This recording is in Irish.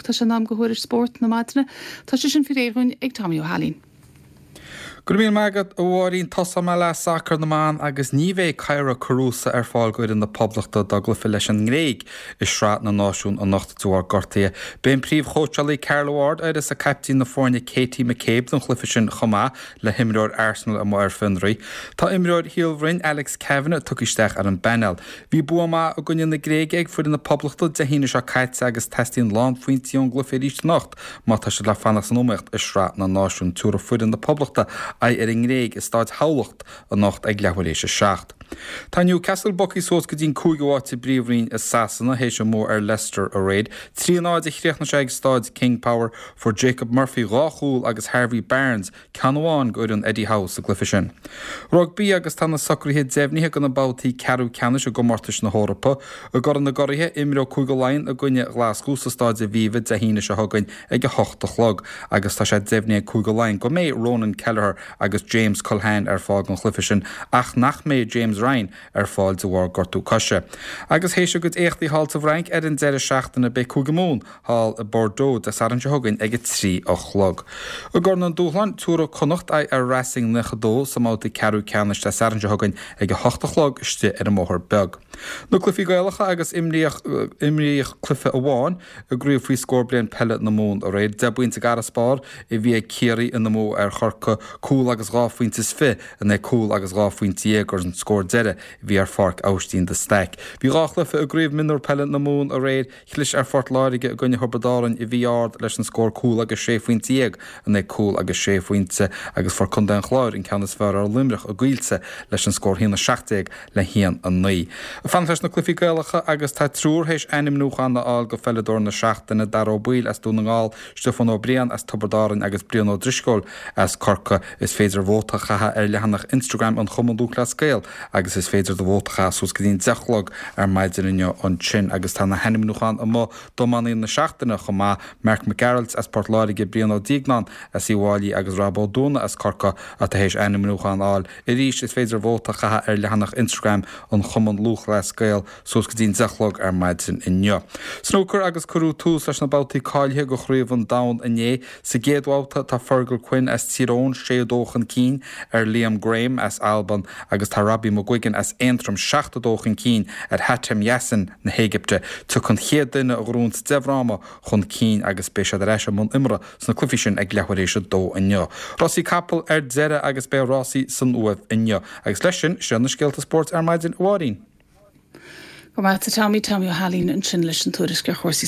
Tá sé in am do thuairisc spóirt na maidine. Tá sé sin faoi réir dhúinn ag Tommy Ó hAilín. Go raibh míle maith agat, a Mháirín. Tosóidh mé le sacar na mban agus ní bheidh Kyra Carusa ar fáil do fhoireann na Poblachta dá gcluiche leis an nGréig i Sraith na Náisiún anocht de bharr gortaithe. Beidh an príomhchóitseálaí Carla Ward uireasa caiptín na foirne Katie McCabe don chluiche sin chomh maith le himreoir Arsenal amuigh ar fionraí. Tá imreoir Shíol Bhroin Alex Kavanagh tugtha isteach ar an bpainéal. Bhí bua maith i gcoinne na Gréige ag foireann na Poblachta Dé hAoine seo caite agus teastaíonn lánphointí ón gcluiche arís anocht. Má tá siad le fanacht san iomaíocht i Sraith na Náisiún, tabharfaidh foireann na Poblachta aghaidh ar an nGréig i Staid Thamhlacht anocht ag leathuair théis 7. Tá Newcastle bogtha suas go dtí an cúigiú háit sa bPríomhroinn i Sasana théis a mbua ar Leicester aréir. 3 0 a chríochnaigh sé ag Staid King Power. Fuair Jacob Murphy dhá chúl agus Harvey Barnes ceann amháin go fhoireann Eddie Howe sa gcluiche sin. Rugbaí agus tá na socruithe deimhnithe do na babhtaí ceathrú ceannais i gcomórtais na hEorpa. I gCorn na gCuraithe, imreoidh Cúige Laighean i gcoinne Ghlaschú sa Stáid Aviva Dé hAoine seo chugainn ag 8 a chlog agus tá sé deimhnithe ag Cúige Laighean go mbeidh Ronan Kelleher agus James Culhane ar fáil don chluiche sin ach nach mbeidh James Ryan ar fáil de bharr gortú coise. Agus théis a gcuid éachtaí thall sa bhFrainc ar an deireadh seachtaine beidh Cúige Mumhan thall i Bordeaux Dé Sathairn seo chugainn ag 3 a chlog. I gCorn an Dúshláin, tabharfaidh Connacht aghaidh ar Racing 92 sa mbabhta ceathrú ceannais Dé Sathairn seo chugainn ag 8 a chlog istigh ar an mBóthar Beag. Na cluichí Gaelacha agus imríodh imríodh cluiche amháin i gcraobh faoi scór bliain peile na Mumhan aréir. Deich bpointe d'fharasbarr a bhí ag Ciarraí ina mbua ar Chorcaigh, cúl agus dhá phointe is fiche in aghaidh cúl agus dhá phointe dhéag an scór deiridh a bhí ar Pháirc Aibhistín de Staic. Bhí dhá chluiche i gcraobh mionúr peile na Mumhan aréir. Chlis ar Phort Láirge i gcoinne Thiobraid Árann i bhí Ard leis an scór cúl agus sé phointe dhéag in aghaidh cúl agus sé phointe agus fuair Contae an Chláir an ceann is fearr ar Luimneach i gCoillte leis an scór 1-17 le 1-9. Ag fanacht leis na cluichí Gaelacha agus tá triúr théis ainmniúchán a fháil go pheileadóir na seachtaine, Dara Ó Baoill as Dún na nGall, Stiofán Ó Briain as Tiobraid Árann agus Brian Ó Drisceoil as Corcaigh. Is féidir vóta a chaitheamh ar leathanach Instagram an Chumann Lúthchleas Gael agus is féidir do vóta a chaitheamh suas go dtí an 10 a chlog ar maidin inniu ansin agus tá na hainmniúcháin amuigh d'iománaí na seachtaine chomh maith, Marc Mac Gearailt as Port Láirge, Brian Ó Duigneáin as Uíbh Fhailí agus Rob Ó Dúna as Corcaigh atá théis ainmniúchán a fháil. Arís, is féidir vóta a chaitheamh ar leathanach Instagram an Chumann Lúthchleas Gael suas go dtí an 10 a chlog ar maidin inniu. Snúcar agus cuireadh tús leis na babhtaí cáilithe do Chraobh an Domhain inné. Sa gcéad bhabhta tá Fergal Quinn as Tír Eoghain 6-2 chun cinn ar Liam Graham as Albain agus tá Robbie McGuigan as Aontroim 7-2 chun cinn ar Hatem Yassin na hÉigipte. Tiocfaidh an chéad duine a ghnóthaíonns 10 bhfráma chun cinn agus beidh siad ar ais i mbun imeartha sna cluichí sin ag leathuair théis a dó inniu. Rásaí capall ar deireadh agus beidh rásaí san Uaimh inniu. Agus leis sin, sin iad na scéalta spóirt ar maidin, a Mháirín. Go raibh maith agat a Tommy, Tommy Ó hAilín ansin leis an tuairisc ar chúrsaí.